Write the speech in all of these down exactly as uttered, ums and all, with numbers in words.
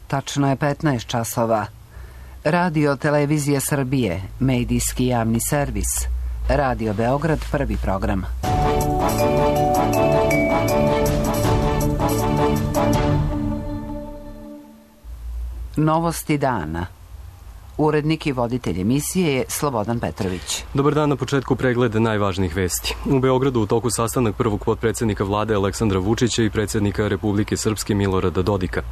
Tačno je petnaest časova. Radio Televizija Srbije, medijski javni servis. Radio Beograd, prvi program. Novosti dana. Urednik i voditelj emisije je Slobodan Petrović. Dobar dan, na početku pregled najvažnijih vesti. U Beogradu u toku sastanak prvog potpredsednika vlade Aleksandra Vučića i predsednika Republike Srpske Milorada Dodika.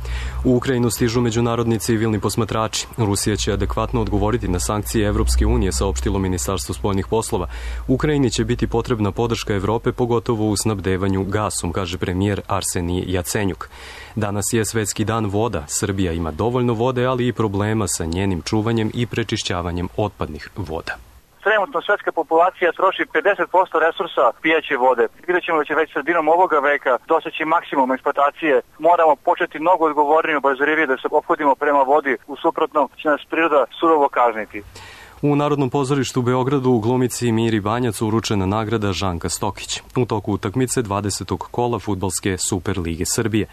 U Ukrajinu stižu međunarodni civilni posmatrači. Rusija će adekvatno odgovoriti na sankcije Evropske unije, saopštilo Ministarstvo spoljnih poslova. Ukrajini će biti potrebna podrška Evrope, pogotovo u snabdevanju gasom, kaže premijer Arsenij Jacenjuk. Danas je Svetski dan voda. Srbija ima dovoljno vode, ali i problema sa njenim čuvanjem i prečišćavanjem otpadnih voda. Trenutno svetska populacija troši pedeset posto resursa pijaće vode. Vidjet ćemo da će već sredinom ovoga veka doseći maksimum eksploatacije. Moramo početi mnogo odgovornije, obazrivije da se ophodimo prema vodi, u suprotnom će nas priroda surovo kazniti. U Narodnom pozorištu u Beogradu u glumici Miri Banjac uručena nagrada Žanka Stokić. U toku utakmice dvadesetog kola fudbalske Super lige Srbije.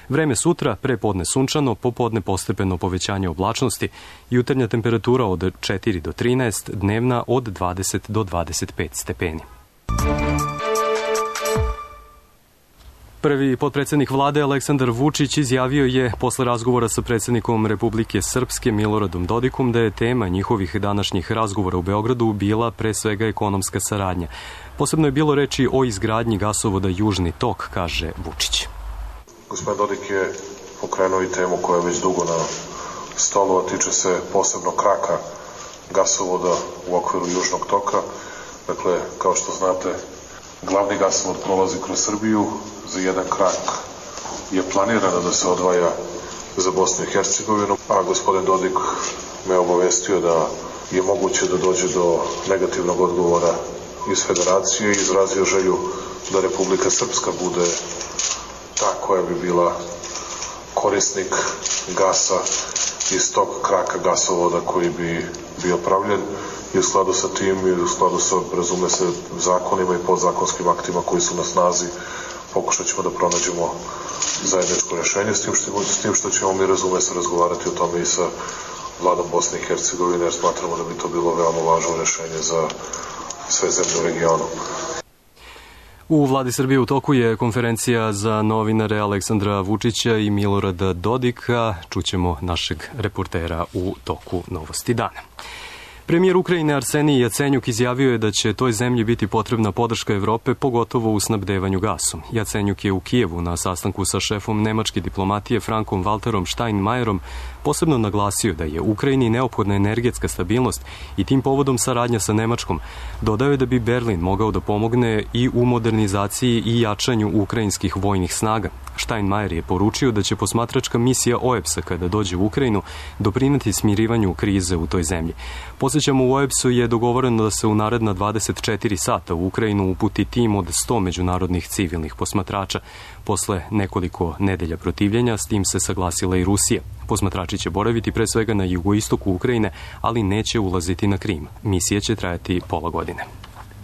Vreme sutra, prepodne sunčano, popodne postepeno povećanje oblačnosti, jutarnja temperatura od četiri do trinaest, dnevna od dvadeset do dvadeset pet stepeni. Prvi potpredsednik vlade Aleksandar Vučić izjavio je posle razgovora sa predsednikom Republike Srpske Miloradom Dodikom da je tema njihovih današnjih razgovora u Beogradu bila pre svega ekonomska saradnja. Posebno je bilo reči o izgradnji gasovoda Južni tok, kaže Vučić. Gospodin Dodik je pokrenuo i temu koja je već dugo na stolu, a tiče se posebno kraka gasovoda u okviru Južnog toka. Dakle, kao što znate, glavni gasovod prolazi kroz Srbiju, za jedan krak je planirano da se odvaja za Bosnu i Hercegovinu, a gospodin Dodik me obavestio da je moguće da dođe do negativnog odgovora iz Federacije i izrazio želju da Republika Srpska bude ta koja bi bila korisnik gasa iz tog kraka gasovoda koji bi bio pravljen i u skladu sa tim i u skladu sa, razume se, zakonima i podzakonskim aktima koji su na snazi, pokušat ćemo da pronađemo zajedničko rešenje, s tim što, s tim što ćemo mi, razume se, razgovarati o tome i sa vladom Bosne i Hercegovine, jer smatramo da bi to bilo veoma važno rešenje za sve zemlje u regionu. U vladi Srbije u toku je konferencija za novinare Aleksandra Vučića i Milorada Dodika. Čućemo našeg reportera u toku Novosti dana. Premijer Ukrajine Arsenij Jacenjuk izjavio je da će toj zemlji biti potrebna podrška Evrope, pogotovo u snabdevanju gasom. Jacenjuk je u Kijevu na sastanku sa šefom nemačke diplomatije Frankom Walterom Steinmeierom posebno naglasio da je Ukrajini neophodna energetska stabilnost i tim povodom saradnja sa Nemačkom. Dodao je da bi Berlin mogao da pomogne i u modernizaciji i jačanju ukrajinskih vojnih snaga. Steinmeier je poručio da će posmatračka misija O E B S-a kada dođe u Ukrajinu doprineti smirivanju krize u toj zemlji. Posjećamo, u O E B S-u je dogovoreno da se u naredna dvadeset četiri sata u Ukrajinu uputi tim od sto međunarodnih civilnih posmatrača. Posle nekoliko nedelja protivljenja s tim se saglasila i Rusija. Posmatrači će boraviti pre svega na jugoistoku Ukrajine, ali neće ulaziti na Krim. Misija će trajati pola godine.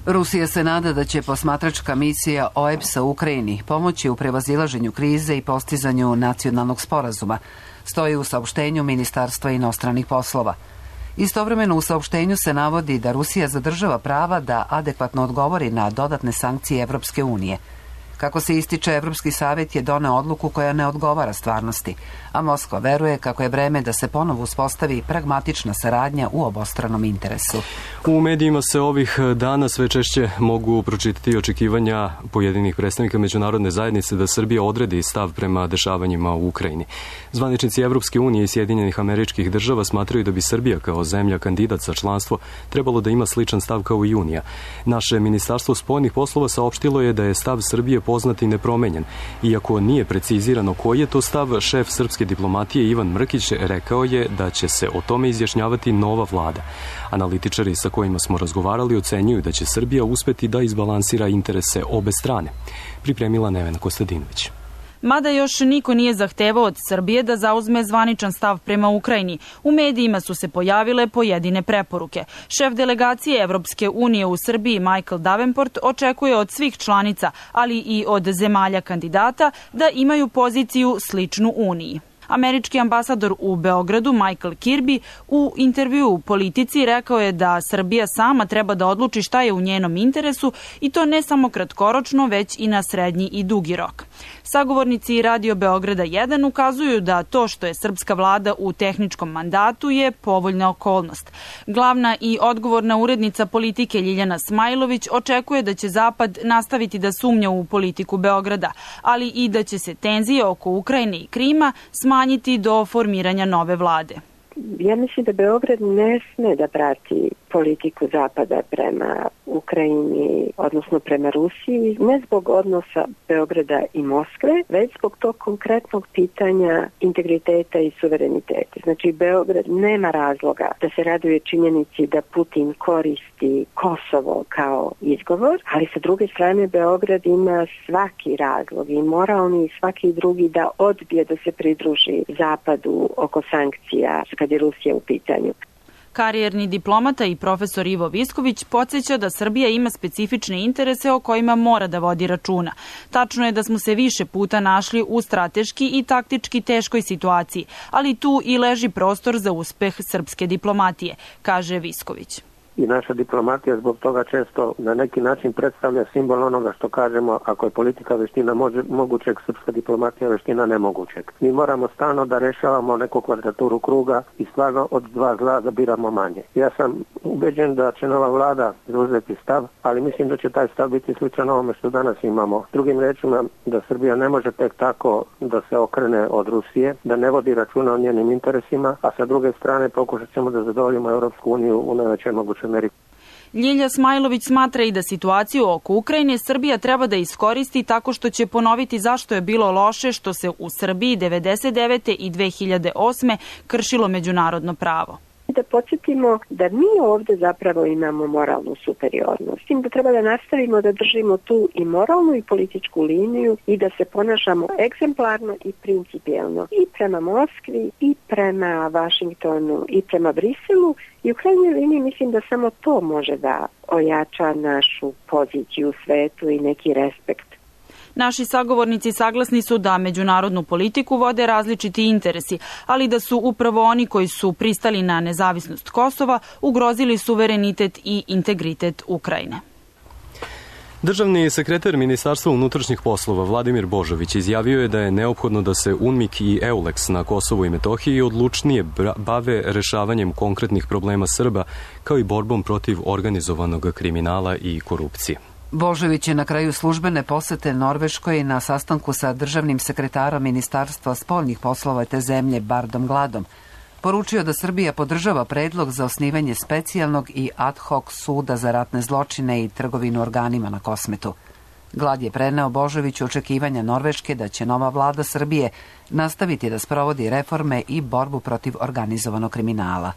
Rusija se nada da će posmatračka misija O E B S-a u Ukrajini pomoći u prevazilaženju krize i postizanju nacionalnog sporazuma, stoji u saopštenju Ministarstva inostranih poslova. Istovremeno u saopštenju se navodi da Rusija zadržava prava da adekvatno odgovori na dodatne sankcije Evropske unije. Kako se ističe, Evropski savjet je doneo odluku koja ne odgovara stvarnosti, a Moskva veruje kako je vreme da se ponovo uspostavi pragmatična saradnja u obostranom interesu. U medijima se ovih dana sve češće mogu pročitati očekivanja pojedinih predstavnika međunarodne zajednice da Srbija odredi stav prema dešavanjima u Ukrajini. Zvaničnici Evropske unije i Sjedinjenih Američkih Država smatraju da bi Srbija kao zemlja kandidat za članstvo trebalo da ima sličan stav kao i Unija. Naše Ministarstvo spoljnih poslova saopštilo je da je stav Srbije poznat i nepromenjen. Iako nije precizirano koji je to stav, šef srpske diplomatije Ivan Mrkić rekao je da će se o tome izjašnjavati nova vlada. Analitičari sa kojima smo razgovarali ocenjuju da će Srbija uspeti da izbalansira interese obe strane. Pripremila Nevena Kostadinović. Mada još niko nije zahtevao od Srbije da zauzme zvaničan stav prema Ukrajini, u medijima su se pojavile pojedine preporuke. Šef delegacije Evropske unije u Srbiji Michael Davenport očekuje od svih članica, ali i od zemalja kandidata, da imaju poziciju sličnu Uniji. Američki ambasador u Beogradu Michael Kirby u intervjuu u Politici rekao je da Srbija sama treba da odluči šta je u njenom interesu i to ne samo kratkoročno, već i na srednji i dugi rok. Sagovornici Radio Beograda jedan ukazuju da to što je srpska vlada u tehničkom mandatu je povoljna okolnost. Glavna i odgovorna urednica Politike Ljiljana Smajlović očekuje da će Zapad nastaviti da sumnja u politiku Beograda, ali i da će se tenzije oko Ukrajine i Krima smanjiti do formiranja nove vlade. Ja mislim da Beograd ne sme da prati politiku Zapada prema Ukrajini, odnosno prema Rusiji, ne zbog odnosa Beograda i Moskve, već zbog tog konkretnog pitanja integriteta i suvereniteta. Znači, Beograd nema razloga da se raduje činjenici da Putin koristi Kosovo kao izgovor, ali sa druge strane Beograd ima svaki razlog, i moralni i svaki drugi, da odbije da se pridruži Zapadu oko sankcija kad je Rusija u pitanju. Karijerni diplomata i profesor Ivo Visković podsjeća da Srbija ima specifične interese o kojima mora da vodi računa. Tačno je da smo se više puta našli u strateški i taktički teškoj situaciji, ali tu i leži prostor za uspeh srpske diplomatije, kaže Visković. I naša diplomatija zbog toga često na neki način predstavlja simbol onoga što kažemo, ako je politika veština može, mogućeg, srpska diplomatija veština nemogućeg. Mi moramo stalno da rešavamo neku kvadraturu kruga i stvarno od dva zla da biramo manje. Ja sam ubeđen da će nova vlada zauzeti stav, ali mislim da će taj stav biti sličan ovome što danas imamo. Drugim rečima, da Srbija ne može tek tako da se okrene od Rusije, da ne vodi računa o njenim interesima, a sa druge strane pokušat ćemo da zadovoljimo Europsku uniju u najvećoj mogućoj meri. Ljilja Smajlović smatra i da situaciju oko Ukrajine Srbija treba da iskoristi tako što će ponoviti zašto je bilo loše što se u Srbiji devedeset devete i dve hiljade osme kršilo međunarodno pravo. Da podsjetimo da mi ovde zapravo imamo moralnu superiornost. S tim da treba da nastavimo da držimo tu i moralnu i političku liniju i da se ponašamo egzemplarno i principijelno i prema Moskvi i prema Vašingtonu i prema Briselu, i u krajnjoj liniji mislim da samo to može da ojača našu poziciju u svetu i neki respekt. Naši sagovornici saglasni su da međunarodnu politiku vode različiti interesi, ali da su upravo oni koji su pristali na nezavisnost Kosova ugrozili suverenitet i integritet Ukrajine. Državni sekretar Ministarstva unutrašnjih poslova Vladimir Božović izjavio je da je neophodno da se UNMIK i EULEX na Kosovu i Metohiji odlučnije bave rešavanjem konkretnih problema Srba, kao i borbom protiv organizovanog kriminala i korupcije. Božović je na kraju službene posete Norveškoj na sastanku sa državnim sekretarom Ministarstva spoljnih poslova te zemlje Bardom Gladom poručio da Srbija podržava predlog za osnivanje specijalnog i ad hoc suda za ratne zločine i trgovinu organima na Kosmetu. Glad je preneo Božoviću očekivanja Norveške da će nova vlada Srbije nastaviti da sprovodi reforme i borbu protiv organizovanog kriminala.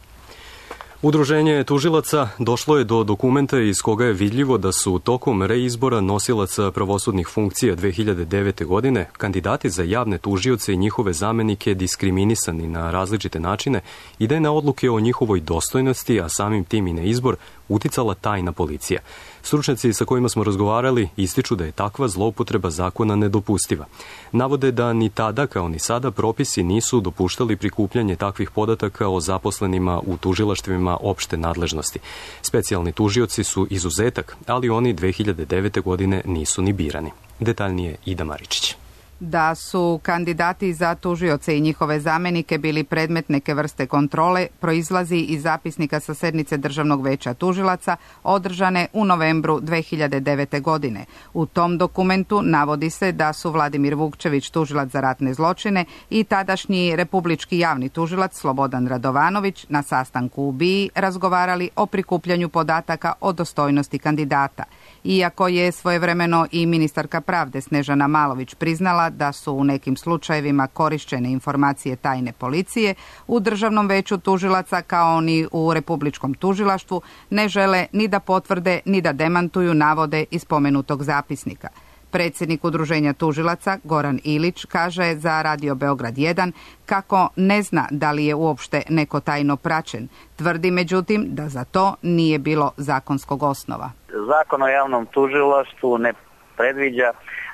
Udruženje tužilaca došlo je do dokumenta iz koga je vidljivo da su tokom reizbora nosilaca pravosudnih funkcija dve hiljade devete. godine kandidati za javne tužioce i njihove zamenike diskriminisani na različite načine i da je na odluke o njihovoj dostojnosti, a samim tim i na izbor, uticala tajna policija. Stručnjaci sa kojima smo razgovarali ističu da je takva zloupotreba zakona nedopustiva. Navode da ni tada kao ni sada propisi nisu dopuštali prikupljanje takvih podataka o zaposlenima u tužilaštvima opšte nadležnosti. Specijalni tužioci su izuzetak, ali oni dve hiljade devete. godine nisu ni birani. Detaljnije Ida Maričić. Da su kandidati za tužioce i njihove zamenike bili predmet neke vrste kontrole proizlazi iz zapisnika sa sednice Državnog veća tužilaca održane u novembru dve hiljade devete. godine. U tom dokumentu navodi se da su Vladimir Vukčević, tužilac za ratne zločine, i tadašnji republički javni tužilac Slobodan Radovanović na sastanku u BIA razgovarali o prikupljanju podataka o dostojnosti kandidata. Iako je svojevremeno i ministarka pravde Snežana Malović priznala da su u nekim slučajevima korišćene informacije tajne policije, u Državnom veću tužilaca kao ni u Republičkom tužilaštvu ne žele ni da potvrde ni da demantuju navode iz spomenutog zapisnika. Predsjednik Udruženja tužilaca Goran Ilić kaže za Radio Beograd jedan kako ne zna da li je uopšte neko tajno praćen. Tvrdi međutim da za to nije bilo zakonskog osnova. Zakon o javnom tužilaštvu ne predviđa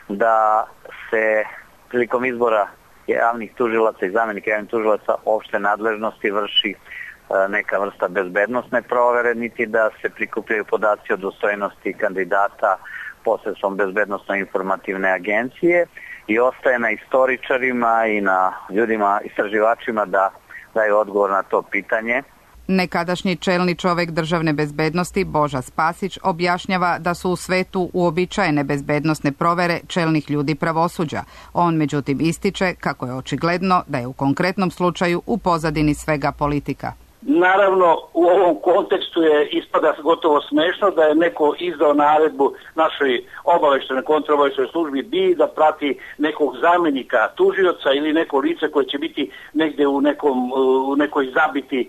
da se prilikom izbora javnih tužilaca i zamenika javnih tužilaca opšte nadležnosti vrši neka vrsta bezbednosne provere, niti da se prikupljaju podaci o dostojnosti kandidata posredstvom bezbednosno-informativne agencije i ostaje na istoričarima i na ljudima, istraživačima da daju odgovor na to pitanje. Nekadašnji čelni čovek državne bezbednosti Boža Spasić objašnjava da su u svetu uobičajene bezbednosne provere čelnih ljudi pravosuđa. On međutim ističe kako je očigledno da je u konkretnom slučaju u pozadini svega politika. Naravno, u ovom kontekstu je ispada gotovo smešno da je neko izdao naredbu našoj obaveštenoj kontraobaveštenoj službi B I da prati nekog zamenika tužioca ili neko lice koje će biti negde u, nekom, u nekoj zabiti e,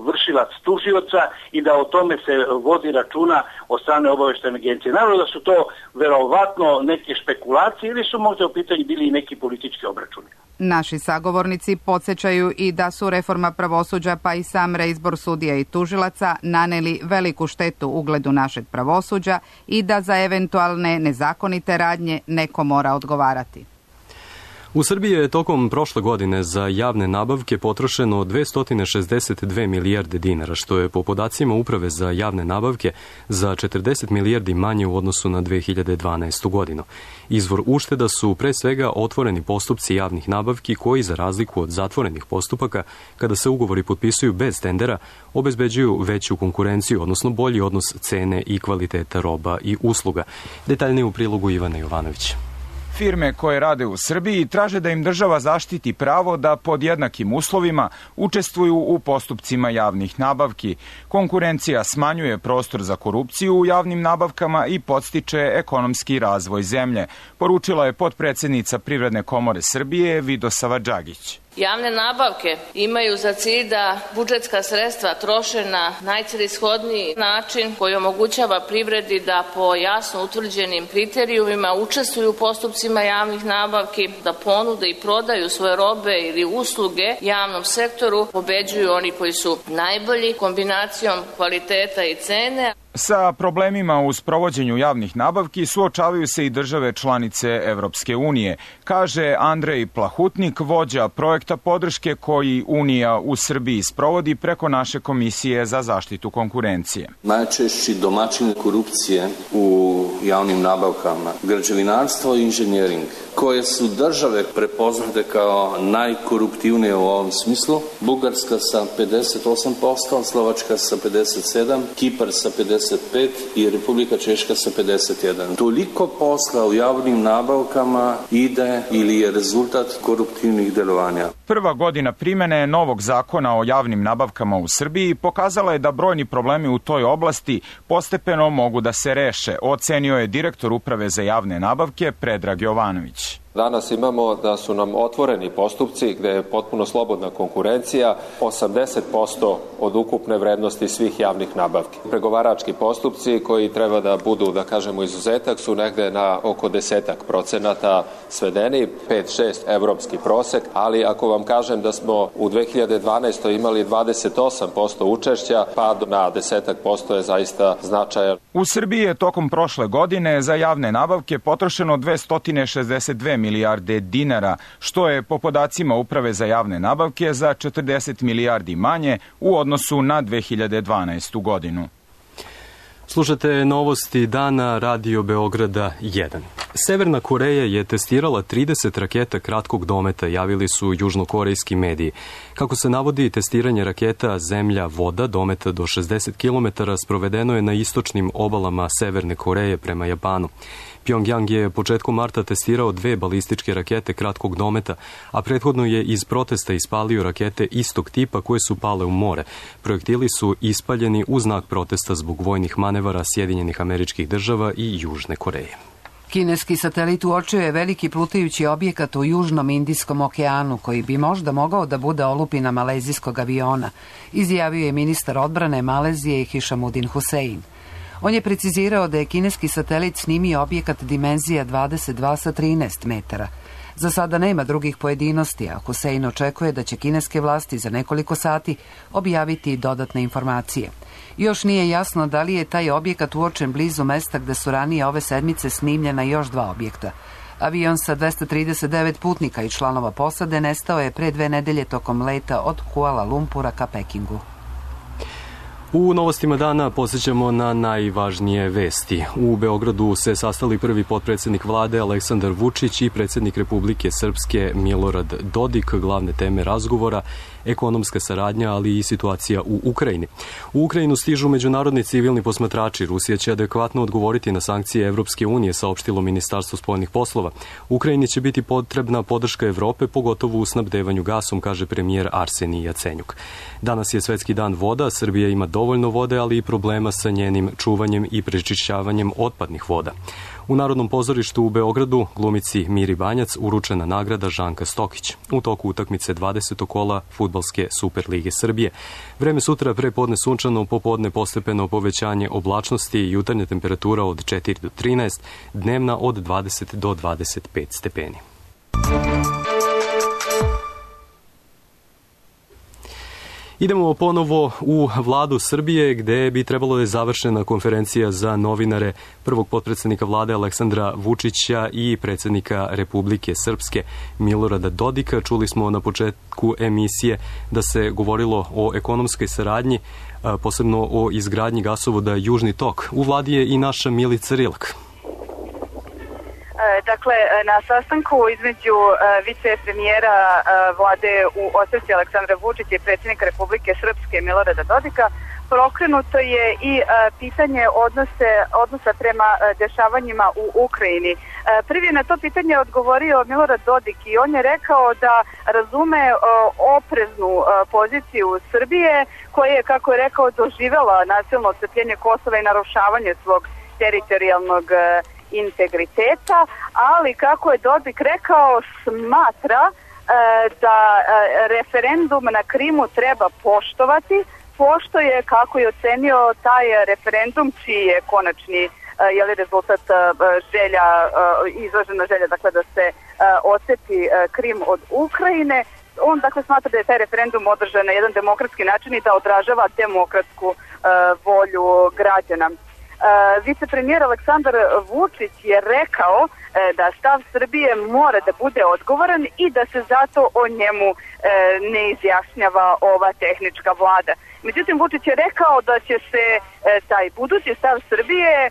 vršilac tužioca i da o tome se vodi računa od strane obaveštene agencije. Naravno da su to verovatno neke špekulacije ili su možda u pitanju bili i neki politički obračuni. Naši sagovornici podsjećaju i da su reforma pravosuđa pa i sam reizbor sudija i tužilaca naneli veliku štetu ugledu našeg pravosuđa i da za eventualne nezakonite radnje neko mora odgovarati. U Srbiji je tokom prošle godine za javne nabavke potrošeno dvesta šezdeset dve milijarde dinara, što je po podacima Uprave za javne nabavke za četrdeset milijardi manje u odnosu na dve hiljade dvanaestu. godinu. Izvor ušteda su pre svega otvoreni postupci javnih nabavki koji, za razliku od zatvorenih postupaka, kada se ugovori potpisuju bez tendera, obezbeđuju veću konkurenciju, odnosno bolji odnos cene i kvaliteta roba i usluga. Detaljnije u prilogu Ivana Jovanovića. Firme koje rade u Srbiji traže da im država zaštiti pravo da pod jednakim uslovima učestvuju u postupcima javnih nabavki. Konkurencija smanjuje prostor za korupciju u javnim nabavkama i podstiče ekonomski razvoj zemlje, poručila je potpredsednica Privredne komore Srbije Vidosava Đagić. Javne nabavke imaju za cilj da budžetska sredstva troše na najcelishodniji način koji omogućava privredi da po jasno utvrđenim kriterijumima učestvuju u postupcima javnih nabavki, da ponude i prodaju svoje robe ili usluge javnom sektoru, pobeđuju oni koji su najbolji kombinacijom kvaliteta i cene. Sa problemima u sprovođenju javnih nabavki suočavaju se i države članice Evropske unije, kaže Andrej Plahutnik, vođa projekta podrške koji Unija u Srbiji sprovodi preko naše Komisije za zaštitu konkurencije. Najčešći domaćin korupcije u javnim nabavkama, građevinarstvo i inženjering, koje su države prepoznate kao najkoruptivnije u ovom smislu. Bugarska sa pedeset osam posto, Slovačka sa pedeset sedam, Kipar sa pedeset pet i Republika Češka sa pedeset jedan. Toliko posla u javnim nabavkama ide ili je rezultat koruptivnih delovanja. Prva godina primene novog zakona o javnim nabavkama u Srbiji pokazala je da brojni problemi u toj oblasti postepeno mogu da se reše, ocenio je direktor Uprave za javne nabavke Predrag Jovanović. Danas imamo da su nam otvoreni postupci gde je potpuno slobodna konkurencija, osamdeset posto od ukupne vrednosti svih javnih nabavki. Pregovarački postupci koji treba da budu, da kažemo, izuzetak su negde na oko desetak procenata svedeni, pet šest evropski prosek, ali ako vam kažem da smo u dve hiljade dvanaestoj imali dvadeset osam posto učešća, pad na desetak posto je zaista značajan. U Srbiji je tokom prošle godine za javne nabavke potrošeno dvesta šezdeset dve milijarde dinara, što je po podacima Uprave za javne nabavke za četrdeset milijardi manje u odnosu na dve hiljade dvanaestu. godinu. Slušate novosti dana Radio Beograda jedan. Severna Koreja je testirala trideset raketa kratkog dometa, javili su južnokorejski mediji. Kako se navodi, testiranje raketa Zemlja-voda dometa do šezdeset kilometara sprovedeno je na istočnim obalama Severne Koreje prema Japanu. Pjongjang je početkom marta testirao dve balističke rakete kratkog dometa, a prethodno je iz protesta ispalio rakete istog tipa koje su pale u more. Projektili su ispaljeni u znak protesta zbog vojnih manevara Sjedinjenih Američkih Država i Južne Koreje. Kineski satelit uočio je veliki plutajući objekat u Južnom Indijskom okeanu koji bi možda mogao da bude olupina malezijskog aviona, izjavio je ministar odbrane Malezije Hišamudin Husein. On je precizirao da je kineski satelit snimio objekat dimenzija dvadeset dva sa trinaest metara. Za sada nema drugih pojedinosti, a Husein očekuje da će kineske vlasti za nekoliko sati objaviti dodatne informacije. Još nije jasno da li je taj objekat uočen blizu mesta gde su ranije ove sedmice snimljena još dva objekta. Avion sa dvesta trideset devet putnika i članova posade nestao je pre dve nedelje tokom leta od Kuala Lumpura ka Pekingu. U novostima dana posjećamo na najvažnije vesti. U Beogradu se sastali prvi potpredsjednik vlade Aleksandar Vučić i predsjednik Republike Srpske Milorad Dodik. Glavne teme razgovora, ekonomska saradnja, ali i situacija u Ukrajini. U Ukrajinu stižu međunarodni civilni posmatrači. Rusija će adekvatno odgovoriti na sankcije Evropske unije, saopštilo Ministarstvo spoljnih poslova. Ukrajini će biti potrebna podrška Evrope, pogotovo u snabdevanju gasom, kaže premijer Arsenij Jacenjuk. Danas je Svetski dan voda. Srbija ima dovoljno vode, ali i problema sa njenim čuvanjem i prečišćavanjem otpadnih voda. U Narodnom pozorištu u Beogradu glumici Miri Banjac uručena nagrada Žanka Stokić. U toku utakmice dvadesetog kola Fudbalske Superlige Srbije. Vreme sutra prepodne sunčano, popodne postepeno povećanje oblačnosti i jutarnja temperatura od četiri do trinaest, dnevna od dvadeset do dvadeset pet stepeni. Idemo ponovo u vladu Srbije, gde bi trebalo da je završena konferencija za novinare prvog potpredsjednika vlade Aleksandra Vučića i predsjednika Republike Srpske Milorada Dodika. Čuli smo na početku emisije da se govorilo o ekonomskoj saradnji, posebno o izgradnji gasovoda Južni tok. U vladi je i naša Milica Rilak. Dakle, na sastanku između vicepremijera vlade u ostavci Aleksandra Vučića i predsjednika Republike Srpske Milorada Dodika prokrenuto je i pitanje odnose, odnosa prema dešavanjima u Ukrajini. Prvi na to pitanje odgovorio Milorad Dodik i on je rekao da razume opreznu poziciju Srbije koja je, kako je rekao, doživela nasilno odcepljenje Kosova i narušavanje svog teritorijalnog integriteta, ali kako je Dodik rekao, smatra e, da e, referendum na Krimu treba poštovati, pošto je, kako je ocenio taj referendum, čiji je konačni e, je li rezultat e, želja, e, izražena želja, dakle da se e, ocepi e, Krim od Ukrajine. On dakle smatra da je taj referendum održan na jedan demokratski način i da odražava demokratsku e, volju građana. Uh, vicepremijer Aleksandar Vučić je rekao uh, da stav Srbije mora da bude odgovoran i da se zato o njemu uh, ne izjašnjava ova tehnička vlada. Međutim, Vučić je rekao da će se uh, taj budući stav Srbije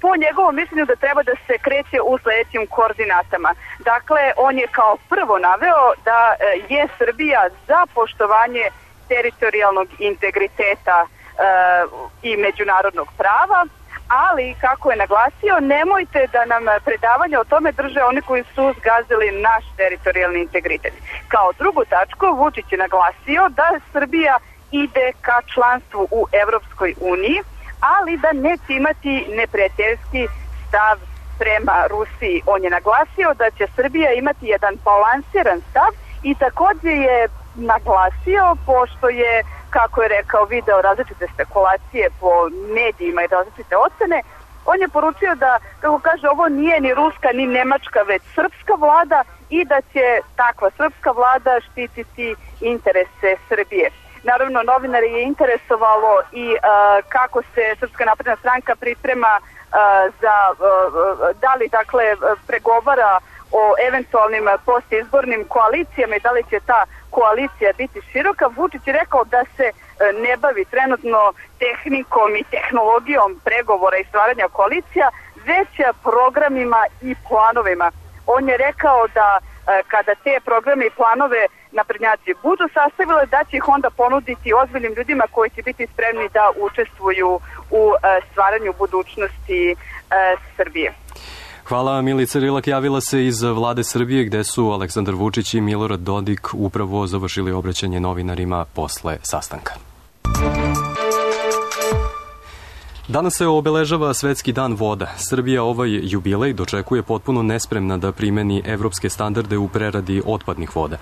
po njegovom mišljenju da treba da se kreće u sledećim koordinatama. Dakle, on je kao prvo naveo da uh, je Srbija za poštovanje teritorijalnog integriteta uh, i međunarodnog prava, ali, kako je naglasio, nemojte da nam predavanje o tome drže oni koji su zgazili naš teritorijalni integritet. Kao drugu tačku, Vučić je naglasio da Srbija ide ka članstvu u Evropskoj uniji, ali da neće imati neprijateljski stav prema Rusiji. On je naglasio da će Srbija imati jedan balansiran stav i također je naglasio, pošto je, kako je rekao, video različite spekulacije po medijima i različite ocene, on je poručio da, kako kaže, ovo nije ni ruska ni nemačka, već srpska vlada i da će takva srpska vlada štititi interese Srbije. Naravno, novinari je interesovalo i uh, kako se Srpska napredna stranka priprema uh, za, uh, da li dakle pregovara o eventualnim postizbornim koalicijama i da li će ta koalicija biti široka. Vučić je rekao da se ne bavi trenutno tehnikom i tehnologijom pregovora i stvaranja koalicija, već programima i planovima. On je rekao da kada te programe i planove naprednjaci budu sastavile, da će ih onda ponuditi ozbiljnim ljudima koji će biti spremni da učestvuju u stvaranju budućnosti Srbije. Hvala, Milica Rilak javila se iz vlade Srbije, gde su Aleksandar Vučić i Milorad Dodik upravo završili obraćanje novinarima posle sastanka. Danas se obeležava Svetski dan voda. Srbija ovaj jubilej dočekuje potpuno nespremna da primeni evropske standarde u preradi otpadnih voda.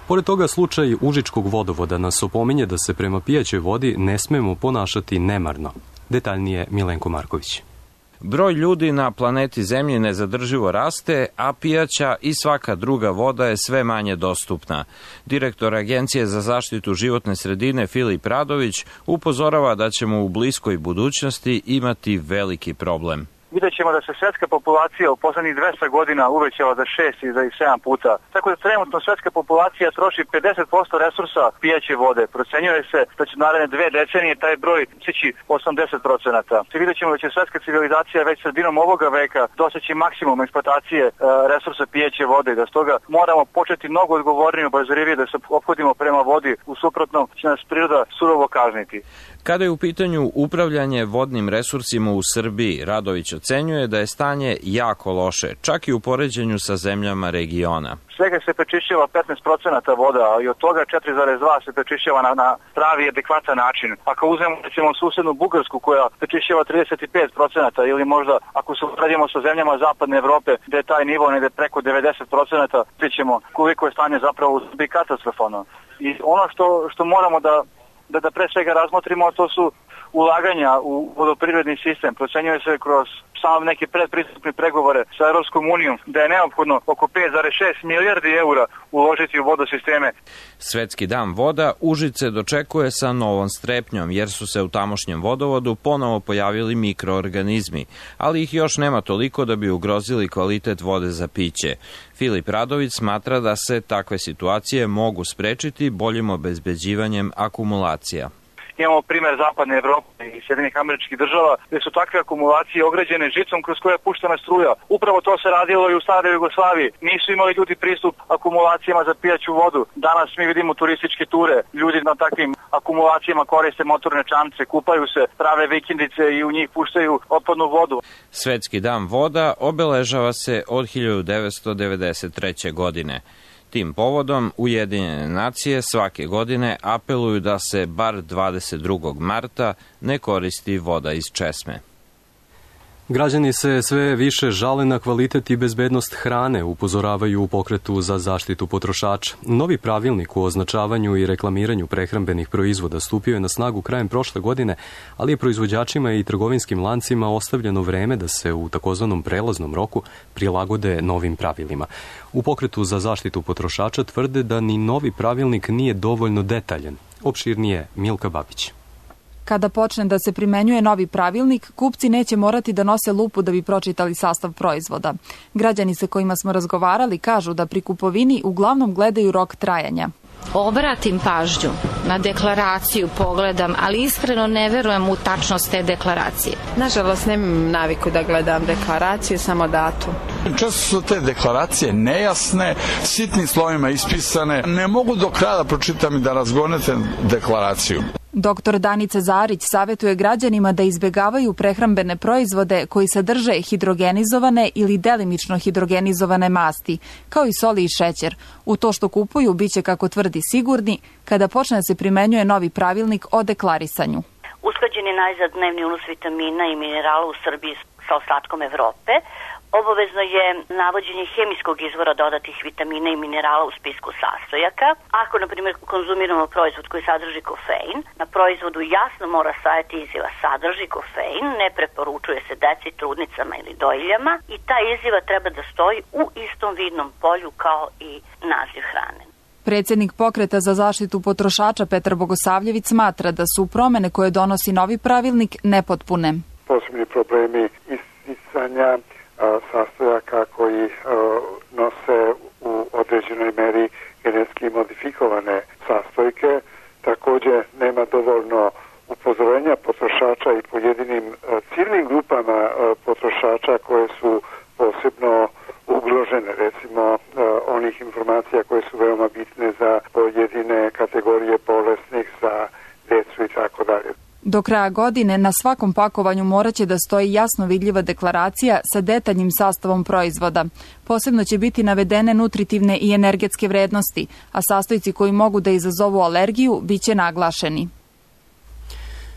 Pored toga, slučaj Užičkog vodovoda nas opominje da se prema pijaćoj vodi ne smemo ponašati nemarno. Detaljnije Milenko Marković. Broj ljudi na planeti Zemlji nezadrživo raste, a pijaća i svaka druga voda je sve manje dostupna. Direktor Agencije za zaštitu životne sredine Filip Radović upozorava da ćemo u bliskoj budućnosti imati veliki problem. vidjet ćemo da se svetska populacija u poslednjih dvesta godina uvećala za šest i za sedam puta. Tako da trenutno svetska populacija troši pedeset posto resursa pijaće vode. Procenjuje se da će naredne dve decenije taj broj stići osamdeset procenata. Vidjet ćemo da će svetska civilizacija već sredinom ovoga veka doseći maksimum eksploatacije e, resursa pijaće vode, da stoga moramo početi mnogo odgovornije i obazrivije da se ophodimo prema vodi, u suprotnom će nas priroda surovo kazniti. Kada je u pitanju upravljanje vodnim resursima u Srbiji, Radović ocenjuje da je stanje jako loše, čak i u poređenju sa zemljama regiona. Svega se prečišćava petnaest procenata voda, i od toga četiri zarez dva se prečišćava na, na pravi i adekvatan način. Ako uzmemo recimo susednu Bugarsku koja prečišćava trideset pet procenata, ili možda ako se uporedimo sa zemljama zapadne Evrope gde je taj nivo negde preko devedeset procenata, vidimo koliko je stanje zapravo u Srbiji katastrofalno. I ono što, što moramo da Da, da pre svega razmotrimo, to su ulaganja u vodoprivredni sistem. Procenjuje se kroz samo neke predpristupne pregovore sa Europskom unijom da je neophodno oko pet zarez šest milijardi eura uložiti u vodosisteme. Svetski dan voda Užice dočekuje sa novom strepnjom, jer su se u tamošnjem vodovodu ponovo pojavili mikroorganizmi, ali ih još nema toliko da bi ugrozili kvalitet vode za piće. Filip Radović smatra da se takve situacije mogu sprečiti boljim obezbeđivanjem akumulacija. Imamo primer zapadne Evrope i Sjedinjenih Američkih Država gde su takve akumulacije ograđene žicom kroz koje je puštena struja. Upravo to se radilo i u staroj Jugoslaviji. Nisu imali ljudi pristup akumulacijama za pijaću vodu. Danas mi vidimo turističke ture. Ljudi na takvim akumulacijama koriste motorne čamce, kupaju se, prave vikendice i u njih puštaju otpadnu vodu. Svetski dan voda obeležava se od hiljadu devetsto devedeset treće. godine. Tim povodom Ujedinjene nacije svake godine apeluju da se bar dvadeset drugog marta ne koristi voda iz česme. Građani se sve više žale na kvalitet i bezbednost hrane, upozoravaju u pokretu za zaštitu potrošača. Novi pravilnik o označavanju i reklamiranju prehrambenih proizvoda stupio je na snagu krajem prošle godine, ali je proizvođačima i trgovinskim lancima ostavljeno vreme da se u takozvanom prelaznom roku prilagode novim pravilima. U pokretu za zaštitu potrošača tvrde da ni novi pravilnik nije dovoljno detaljan. Opširnije Milka Babić. Kada počne da se primenjuje novi pravilnik, kupci neće morati da nose lupu da bi pročitali sastav proizvoda. Građani sa kojima smo razgovarali kažu da pri kupovini uglavnom gledaju rok trajanja. Obratim pažnju na deklaraciju, pogledam, ali iskreno ne verujem u tačnost te deklaracije. Nažalost, nemam naviku da gledam deklaraciju, samo datum. Često su te deklaracije nejasne, sitnim slovima ispisane. Ne mogu do kraja da pročitam i da razgonete deklaraciju. Doktor Danica Zarić savjetuje građanima da izbegavaju prehrambene proizvode koji sadrže hidrogenizovane ili delimično hidrogenizovane masti, kao i soli i šećer. U to što kupuju biće, kako tvrdi, sigurni kada počne da se primenjuje novi pravilnik o deklarisanju. Usklađen je najzad dnevni unos vitamina i minerala u Srbiji sa ostatkom Evrope. Obavezno je navođenje hemijskog izvora dodatih vitamina i minerala u spisku sastojaka. Ako, na primjer, konzumiramo proizvod koji sadrži kofein, na proizvodu jasno mora stajati izjava sadrži kofein, ne preporučuje se deci, trudnicama ili dojiljama i ta izjava treba da stoji u istom vidnom polju kao i naziv hrane. Predsjednik pokreta za zaštitu potrošača Petar Bogosavljević smatra da su promene koje donosi novi pravilnik nepotpune. Posebni problemi isticanja sastojaka koji uh, nose u određenoj meri genetski modifikovane sastojke. Takođe nema dovoljno upozorenja potrošača i pojedinim uh, ciljnim grupama uh, potrošača koje su posebno ugrožene, recimo uh, onih informacija koje su veoma bitne za pojedine kategorije bolesnih, za decu i tako dalje. Do kraja godine na svakom pakovanju moraće da stoji jasno vidljiva deklaracija sa detaljnim sastavom proizvoda. Posebno će biti navedene nutritivne i energetske vrednosti, a sastojci koji mogu da izazovu alergiju biće naglašeni.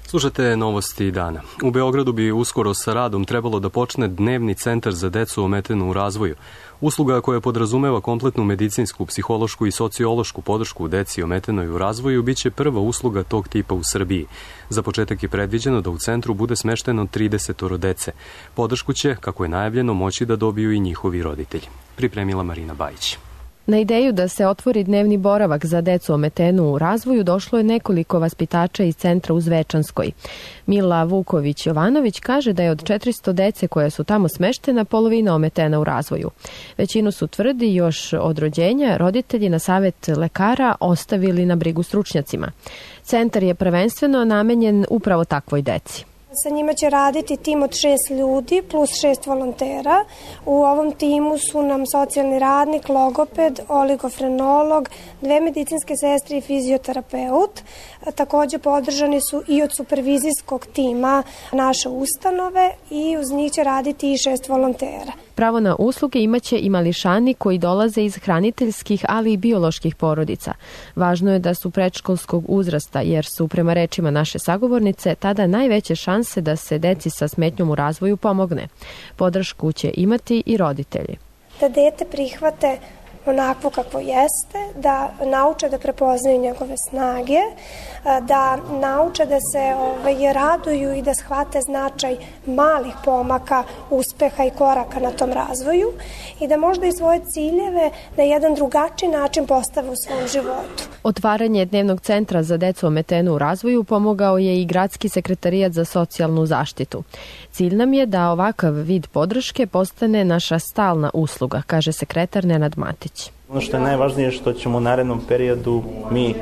Slušate novosti dana. U Beogradu bi uskoro sa radom trebalo da počne dnevni centar za decu ometenu u razvoju. Usluga koja podrazumeva kompletnu medicinsku, psihološku i sociološku podršku deci ometenoj u razvoju biće prva usluga tog tipa u Srbiji. Za početak je predviđeno da u centru bude smešteno trideset dece. Podršku će, kako je najavljeno, moći da dobiju i njihovi roditelji. Pripremila Marina Bajić. Na ideju da se otvori dnevni boravak za decu ometenu u razvoju došlo je nekoliko vaspitača iz centra u Zvečanskoj. Mila Vuković-Jovanović kaže da je od četiristo dece koja su tamo smeštena polovina ometena u razvoju. Većinu su, tvrdi, još od rođenja roditelji na savjet lekara ostavili na brigu stručnjacima. Centar je prvenstveno namenjen upravo takvoj deci. Sa njima će raditi tim od šest ljudi plus šest volontera. U ovom timu su nam socijalni radnik, logoped, oligofrenolog, dve medicinske sestre i fizioterapeut. Takođe podržani su i od supervizijskog tima naše ustanove i uz njih će raditi i šest volontera. Pravo na usluge imaće i mališani koji dolaze iz hraniteljskih, ali i bioloških porodica. Važno je da su predškolskog uzrasta, jer su, prema rečima naše sagovornice, tada najveće šanse da se deci sa smetnjom u razvoju pomogne. Podršku će imati i roditelji. Da dete prihvate onakvo kakvo jeste, da nauče da prepoznaju njegove snage, da nauče da se ovaj, raduju i da shvate značaj malih pomaka, uspeha i koraka na tom razvoju i da možda i svoje ciljeve na jedan drugačiji način postave u svom životu. Otvaranje dnevnog centra za decu ometenu u razvoju pomogao je i Gradski sekretarijat za socijalnu zaštitu. Cilj nam je da ovakav vid podrške postane naša stalna usluga, kaže sekretar Nenad Matić. Ono što je najvažnije je što ćemo u narednom periodu mi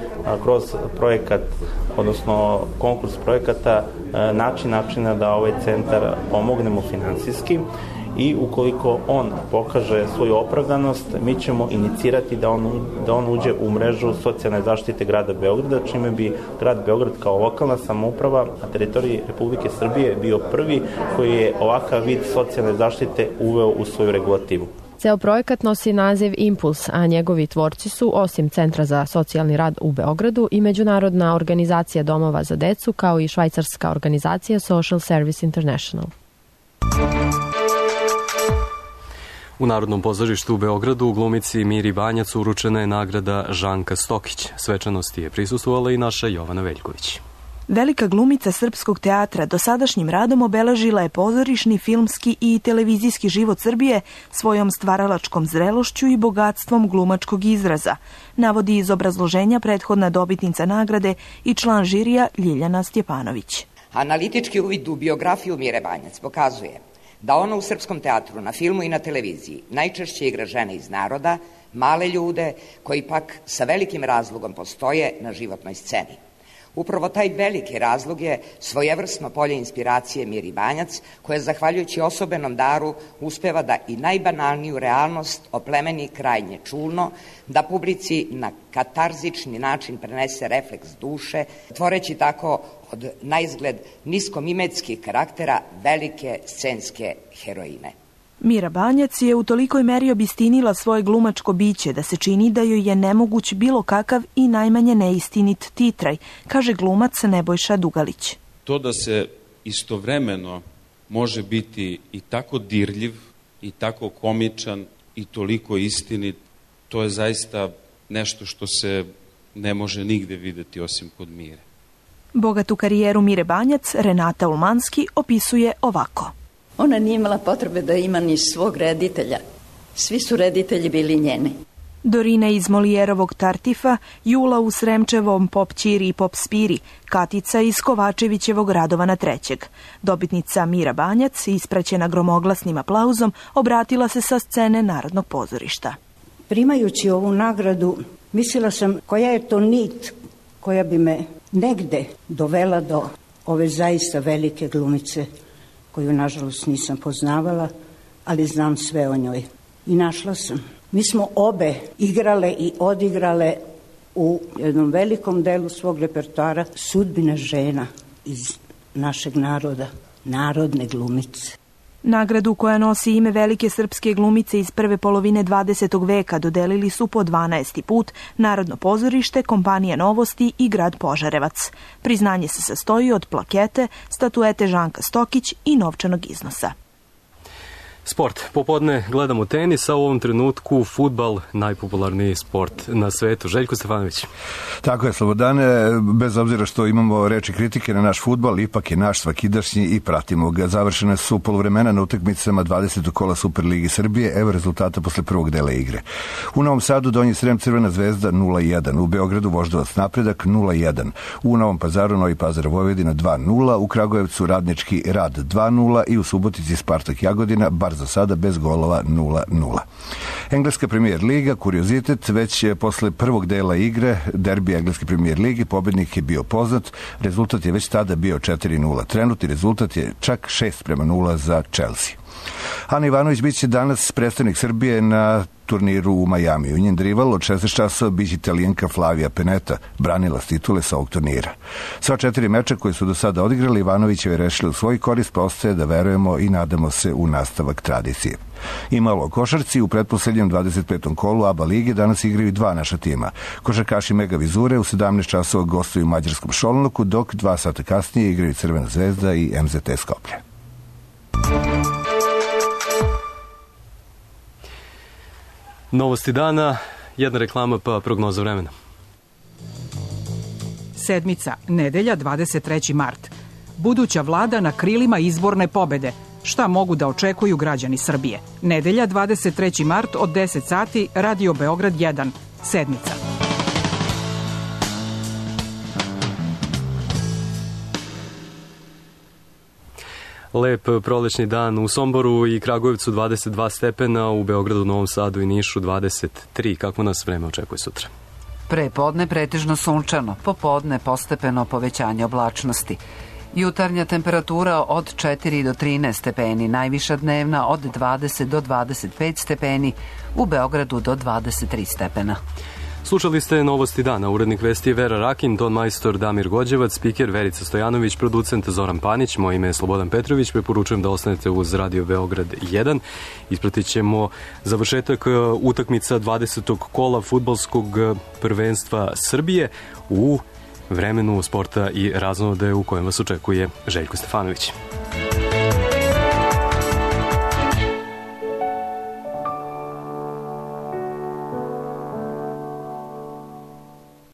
kroz projekat, odnosno konkurs projekata, naći načina da ovaj centar pomognemo finansijski i ukoliko on pokaže svoju opravdanost, mi ćemo inicirati da on, da on uđe u mrežu socijalne zaštite grada Beograda, čime bi grad Beograd kao lokalna samouprava na teritoriji Republike Srbije bio prvi koji je ovakav vid socijalne zaštite uveo u svoju regulativu. Ceo projekat nosi naziv Impuls, a njegovi tvorci su, osim Centra za socijalni rad u Beogradu, i Međunarodna organizacija domova za decu, kao i švajcarska organizacija Social Service International. U Narodnom pozorištu u Beogradu glumici Miri Banjac uručena je nagrada Žanka Stokić. Svečanosti je prisustvovala i naša Jovana Veljković. Velika glumica srpskog teatra dosadašnjim radom obeležila je pozorišni, filmski i televizijski život Srbije svojom stvaralačkom zrelošću i bogatstvom glumačkog izraza, navodi iz obrazloženja prethodna dobitnica nagrade i član žirija Ljiljana Stjepanović. Analitički uvid u biografiju Mire Banjac pokazuje da ona u srpskom teatru, na filmu i na televiziji najčešće igra žene iz naroda, male ljude koji pak sa velikim razlogom postoje na životnoj sceni. Upravo taj veliki razlog je svojevrsno polje inspiracije Miri Banjac, koja zahvaljujući osobenom daru uspeva da i najbanalniju realnost oplemeni krajnje čulno, da publici na katarzični način prenese refleks duše, tvoreći tako od naizgled niskomimetskih karaktera velike scenske heroine. Mira Banjac je u tolikoj meri obistinila svoje glumačko biće da se čini da joj je nemoguć bilo kakav i najmanje neistinit titraj, kaže glumac Nebojša Dugalić. To da se istovremeno može biti i tako dirljiv, i tako komičan, i toliko istinit, to je zaista nešto što se ne može nigde videti osim kod Mire. Bogatu karijeru Mire Banjac Renata Ulmanski opisuje ovako. Ona nije imala potrebe da ima ni svog reditelja. Svi su reditelji bili njeni. Dorina iz Molijerovog Tartifa, Jula u Sremčevom Pop Ćiri i Pop Spiri, Katica iz Kovačevićevog Radovana trećeg. Dobitnica Mira Banjac, ispraćena gromoglasnim aplauzom, obratila se sa scene Narodnog pozorišta. Primajući ovu nagradu, mislila sam koja je to nit koja bi me negde dovela do ove zaista velike glumice, koju nažalost nisam poznavala, ali znam sve o njoj. I našla sam. Mi smo obe igrale i odigrale u jednom velikom delu svog repertoara sudbine žena iz našeg naroda, narodne glumice. Nagradu koja nosi ime velike srpske glumice iz prve polovine dvadesetog veka dodelili su po dvanaesti put Narodno pozorište, Kompanija Novosti i grad Požarevac. Priznanje se sastoji od plakete, statuete Žanka Stokić i novčanog iznosa. Sport. Popodne gledamo tenis, a u ovom trenutku fudbal, najpopularniji sport na svetu. Željko Stefanović. Tako je, Slobodane, bez obzira što imamo reči kritike na naš fudbal, ipak je naš svakidašnji i pratimo ga. Završene su poluvremena na utakmicama dvadesetog kola Superligi Srbije, evo rezultata posle prvog dela igre. U Novom Sadu Donji Srem Crvena zvezda nula jedan, u Beogradu Voždovac Napredak nula jedan, u Novom Pazaru Novi Pazar Vojvodina dva nula, u Kragujevcu Radnički Rad dva nula i u Subotici Spartak Jagodina, bar za sada bez golova nula nula. Engleska premijer liga, kuriozitet, već posle prvog dela igre, derbi Engleske premijer ligi, pobednik je bio poznat, rezultat je već tada bio četiri nula. Trenutni rezultat je čak šest prema nula za Chelsea. Ana Ivanović biće danas predstavnik Srbije na turniru u Majamiju. Njen rival od šesnaest časova biće Italijanka Flavija Peneta, branila titule sa ovog turnira. Sva četiri meča koje su do sada odigrali, Ivanovićeva je rešila u svoj korist, pa ostaje da verujemo i nadamo se u nastavak tradicije. I malo o košarci, u pretposlednjem dvadeset petom kolu A B A lige danas igraju dva naša tima. Košarkaši Mega Vizure u sedamnaest časova gostuju u mađarskom Šolnoku, dok dva sata kasnije igraju Crvena zvezda i M Z T Skoplje. Novosti dana, jedna reklama pa prognoza vremena. Sedmica, nedelja, dvadeset treći mart. Buduća vlada na krilima izborne pobede. Šta mogu da očekuju građani Srbije? Nedelja, dvadeset treći mart od deset sati, Radio Beograd jedan. Sedmica. Lep prolećni dan u Somboru i Kragujevcu dvadeset dva stepena, u Beogradu, Novom Sadu i Nišu dvadeset tri. Kako nas vreme očekuje sutra? Pre podne pretežno sunčano, popodne postepeno povećanje oblačnosti. Jutarnja temperatura od četiri do trinaest stepeni, najviša dnevna od dvadeset do dvadeset pet stepeni, u Beogradu do dvadeset tri stepena. Slušali ste Novosti dana. Urednik vesti je Vera Rakin, ton majstor Damir Gođevac, spiker Verica Stojanović, producent Zoran Panić, moje ime je Slobodan Petrović. Preporučujem da ostanete uz Radio Beograd jedan. Ispratit ćemo završetak utakmica dvadesetog kola fudbalskog prvenstva Srbije u vremenu sporta i raznode u kojem vas očekuje Željko Stefanović.